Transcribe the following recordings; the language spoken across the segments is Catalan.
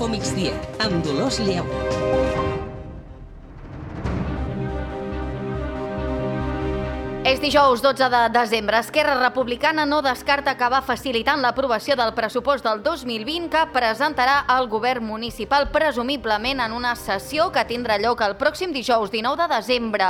Info Migdia, amb Dolors Lleu. És dijous 12 de desembre. Esquerra Republicana no descarta acabar facilitant l'aprovació del pressupost del 2020 que presentarà el govern municipal, presumiblement en una sessió que tindrà lloc el pròxim dijous 19 de desembre.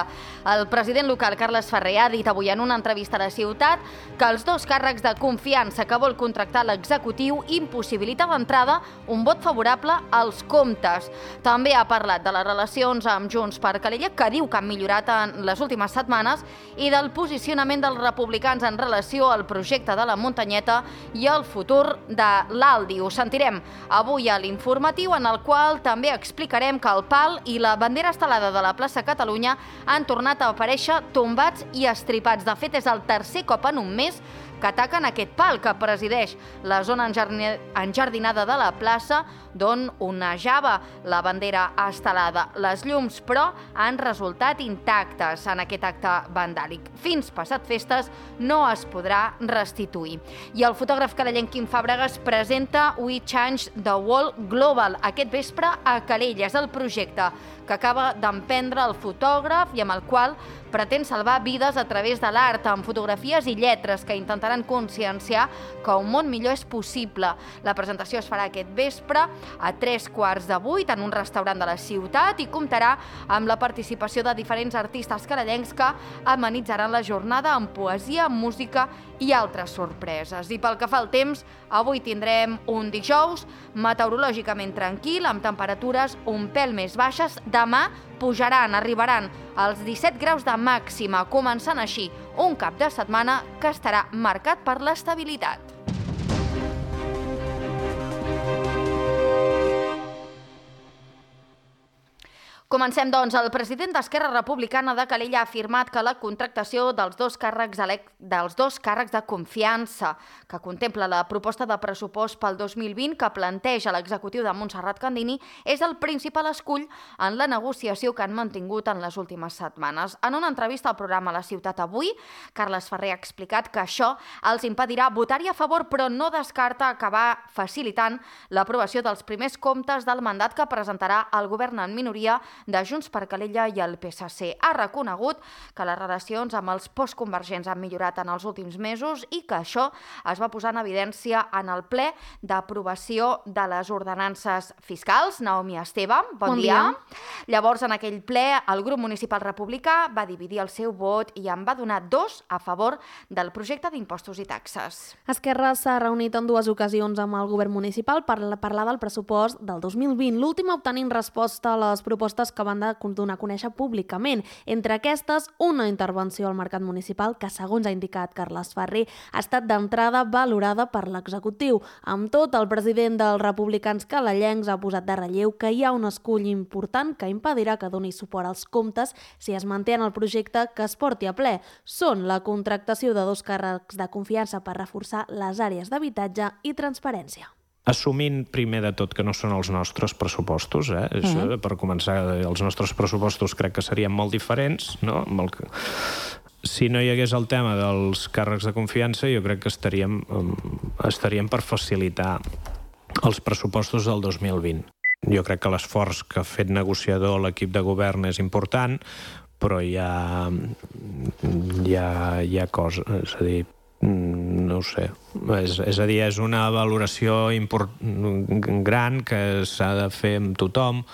El president local, Carles Ferrer, ha dit avui en una entrevista a La Ciutat que els dos càrrecs de confiança que vol contractar l'executiu impossibilita d'entrada un vot favorable als comptes. També ha parlat de les relacions amb Junts per Calella, que diu que han millorat en les últimes setmanes, i del posicionament dels republicans en relació al projecte de la Muntanyeta i el futur de l'Aldi. Ho sentirem avui a l'informatiu, en el qual també explicarem que el pal i la bandera estelada de la plaça Catalunya han tornat a aparèixer tombats i estripats. De fet, és el tercer cop en un mes que ataquen aquest pal que presideix la zona enjardinada de la plaça, d'on onejava la bandera estelada. Les llums, però, han resultat intactes en aquest acte vandàlic. Fins passat festes no es podrà restituir. I el fotògraf calellenc Quim Fàbregas presenta We Change the World Global aquest vespre a Calella. És el projecte que acaba d'emprendre el fotògraf i amb el qual pretén salvar vides a través de l'art, amb fotografies i lletres que intentaran conscienciar que un món millor és possible. La presentació es farà aquest vespre a 7:45 en un restaurant de la ciutat i comptarà amb la participació de diferents artistes calellencs que amenitzaran la jornada amb poesia, música i altres sorpreses. I pel que fa al temps, avui tindrem un dijous meteorològicament tranquil, amb temperatures un pèl més baixes. Demà arribaran als 17 graus de màxima, començant així un cap de setmana que estarà marcat per l'estabilitat. Comencem, doncs. El president d'Esquerra Republicana de Calella ha afirmat que la contractació dels dos càrrecs de confiança que contempla la proposta de pressupost pel 2020 que planteja l'executiu de Montserrat Candini és el principal escull en la negociació que han mantingut en les últimes setmanes. En una entrevista al programa La Ciutat avui, Carles Ferrer ha explicat que això els impedirà votar-hi a favor, però no descarta acabar facilitant l'aprovació dels primers comptes del mandat que presentarà el govern en minoria de Junts per Calella i el PSC. Ha reconegut que les relacions amb els postconvergents han millorat en els últims mesos i que això es va posar en evidència en el ple d'aprovació de les ordenances fiscals. Naomi Esteve, bon dia. Llavors, en aquell ple, el grup municipal republicà va dividir el seu vot i en va donar 2 a favor del projecte d'impostos i taxes. Esquerra s'ha reunit en 2 ocasions amb el govern municipal per parlar del pressupost del 2020, l'última obtenint resposta a les propostes que van donar a conèixer públicament. Entre aquestes, una intervenció al mercat municipal que, segons ha indicat Carles Ferrer, ha estat d'entrada valorada per l'executiu. Amb tot, el president dels republicans calellencs ha posat de relleu que hi ha un escull important que impedirà que doni suport als comptes si es manté en el projecte que es porti a ple. Són la contractació de 2 càrrecs de confiança per reforçar les àrees d'habitatge i transparència. Assumint primer de tot que no són els nostres pressupostos, per començar, els nostres pressupostos crec que serien molt diferents, no? Si no hi hagués el tema dels càrrecs de confiança, jo crec que estaríem per facilitar els pressupostos del 2020. Jo crec que l'esforç que ha fet negociador l'equip de govern és important, però hi ha coses, és a dir, no ho sé, és a dir, és una valoració gran que s'ha de fer amb tothom,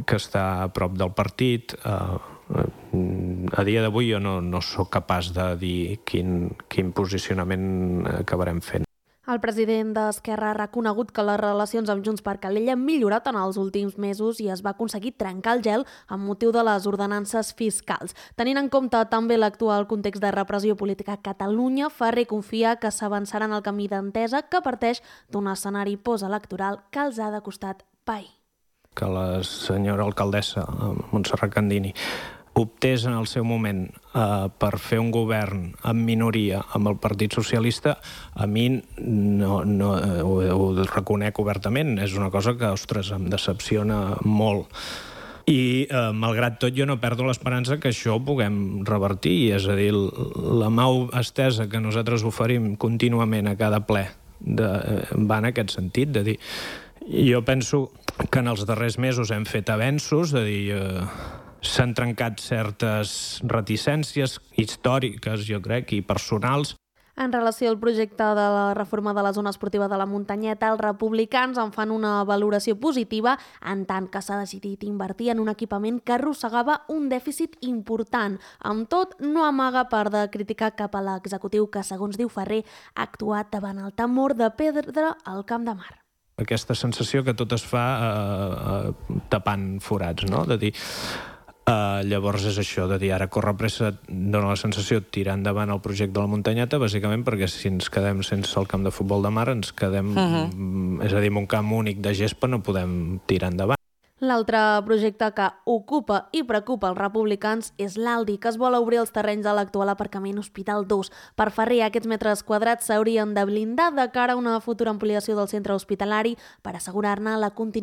que està a prop del partit. A dia d'avui jo no sóc capaç de dir quin posicionament acabarem fent. El president d'Esquerra ha reconegut que les relacions amb Junts per Calella han millorat en els últims mesos i es va aconseguir trencar el gel amb motiu de les ordenances fiscals. Tenint en compte també l'actual context de repressió política a Catalunya, Ferrer confia que s'avançarà en el camí d'entesa que parteix d'un escenari postelectoral que els ha de costat pair. Que la senyora alcaldessa Montserrat Candini optés en el seu moment per fer un govern en minoria amb el Partit Socialista, a mi ho reconec obertament. És una cosa que, ostres, em decepciona molt. I, malgrat tot, jo no perdo l'esperança que això ho puguem revertir. És a dir, la mà estesa que nosaltres oferim contínuament a cada ple va en aquest sentit, de dir Jo penso que en els darrers mesos hem fet avenços, de dir, s'han trencat certes reticències històriques, jo crec, i personals. En relació al projecte de la reforma de la zona esportiva de la Muntanyeta, els republicans en fan una valoració positiva en tant que s'ha decidit invertir en un equipament que arrossegava un dèficit important. Amb tot, no amaga part de criticar cap a l'executiu que, segons diu Ferrer, ha actuat davant el temor de perdre el Camp de Mar. Aquesta sensació que tot es fa tapant forats, no? De dir, llavors és això, de dir, ara corre pressa, dona la sensació de tirar endavant el projecte de la Muntanyeta, bàsicament perquè si ens quedem sense el camp de futbol de mar, ens quedem, és a dir, amb un camp únic de gespa no podem tirar endavant. L'altre projecte que ocupa i preocupa els republicans és l'Aldi, que es vol obrir els terrenys de l'actual aparcament Hospital 2. Per Ferrer, aquests metres quadrats s'haurien de blindar de cara a una futura ampliació del centre hospitalari per assegurar-ne la continuïtat